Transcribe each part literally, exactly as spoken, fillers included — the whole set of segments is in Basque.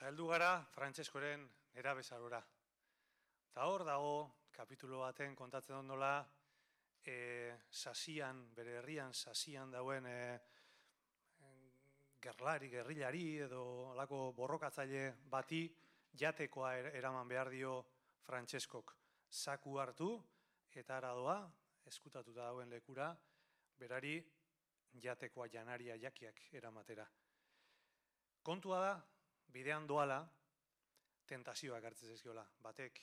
heldu gara Frantzeskoren nerabezarora. Eta hor dago, kapitulo baten kontatzen ondola, e, sasian, bere herrian sasian dauen e, gerlari, gerrilari edo alako borrokatzaile bati jatekoa eraman behar dio Frantzeskok. Zaku hartu eta aradoa, eskutatuta dauen lekura, berari jatekoa janaria jakiak eramatera. Kontua da, bidean doala, tentazioak hartzen zaizkiola. Batek,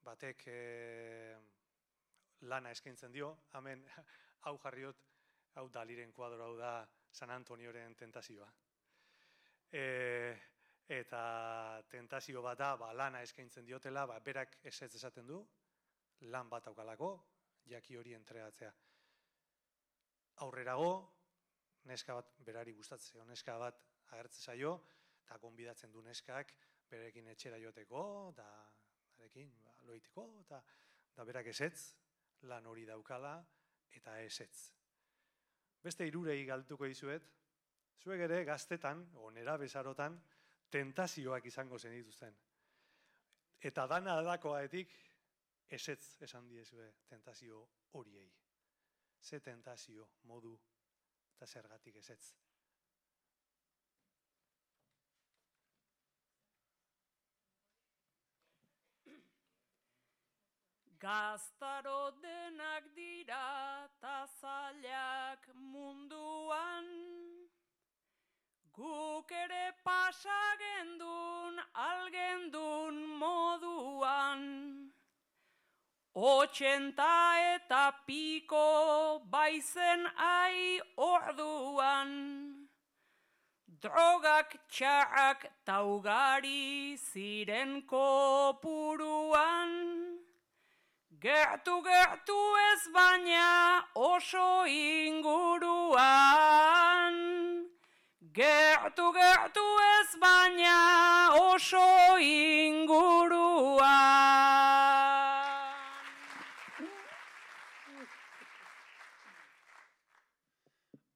batek e, lana eskaintzen dio, hemen hau jarriot, hau Daliren kuadro, hau da San Antonioren tentazioa. E, eta tentazio bat da, ba, lana eskaintzen diotela, ba, berak esetz esaten du, lan bat aukalako, jaki hori entregatzea. Aurrerago, neska bat berari gustatzea, neska bat agertze zaio, eta gonbidatzen du neskak berekin etxera joteko, eta arekin ba, loiteko, eta da berak esetz, lan hori daukala, eta esetz. Beste hirurei galtuko dizuet, zuek ere gaztetan, o nerabezarotan, tentazioak izango zenituzten. Eta dana adakoaetik, esetz esan diezue tentazio horiei. Ze tentazio, modu, eta zergatik esetz. Gaztaro denak dira ta zailak munduan, guk ere pasagendun algendun moduan. Otxenta eta piko baizen ai orduan, drogak txarrak taugari ziren kopuruan. Gertu gertu ez baina oso inguruan. Gertu gertu ez baina oso inguruan.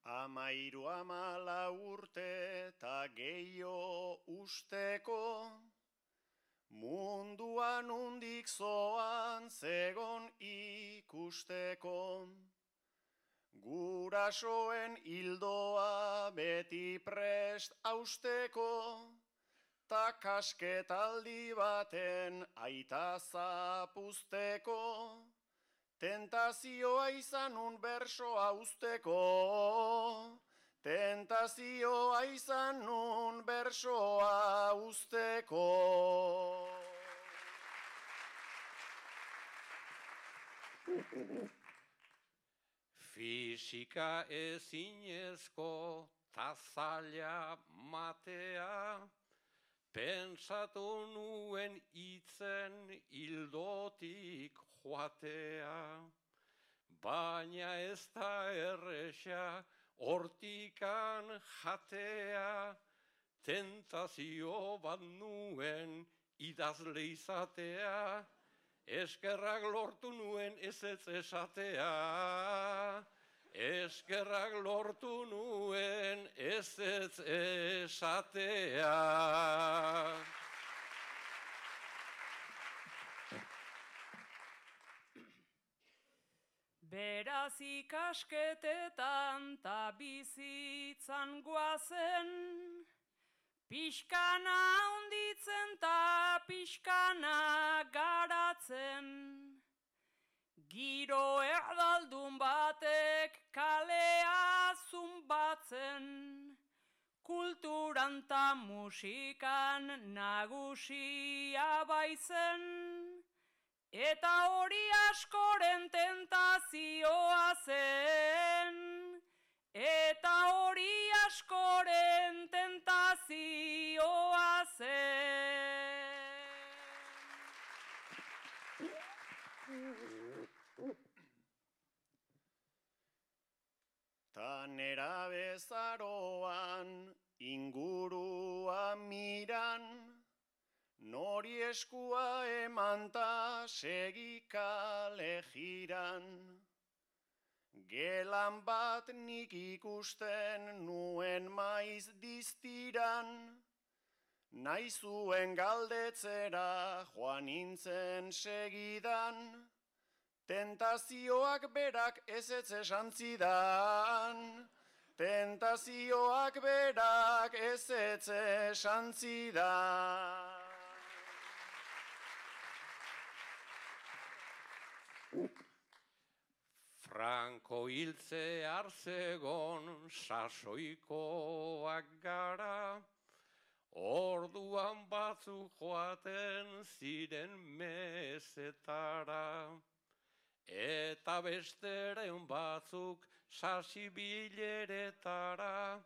Amairu amala urte eta gehiago usteko, munduan undik zoan zegon ikusteko. Gurasoen hildoa beti prest austeko, ta kasketaldi baten aita zapuzteko. Tentazioa izan un bersoa usteko, tentazioa izan un bersoa usteko. Fisika ezinezko ta zaila matea, pentsatu nuen itzen hildotik joatea. Baina ez da erresa hortikan jatea, tentazio bat nuen idazle izatea, eskerrak lortu nuen ezetz esatea. Eskerrak lortu nuen ezetz esatea. Beraz ikasketetan ta bizitzan guazen, pixkana hunditzen ta pixkana garatzen. Giro erdaldun batek kalea zumbatzen, kulturan ta musikan nagusia baizen, eta hori askoren tentazioa zen, eta hori askoren tentazioa zen. Ta nerabezaroan ingurua miran, nori eskua eman ta segikale jiran. Gelan bat nik ikusten nuen maiz diztiran, nahi zuen galdetzera joan nintzen segidan, tentazioak berak ezetz esan zidan, tentazioak berak ezetz esan zidan. Franko hiltze arzegon sasoikoak gara, orduan batzuk joaten ziren mesetara, eta besteren batzuk sasibileretara,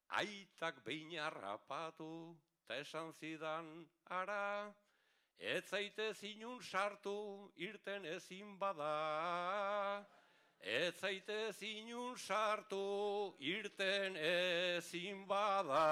aitak behin harrapatu, ta esan zidan ara, ez zaitez inun sartu, irten ezin bada. Ez zaitez inun sartu, irten ezin bada.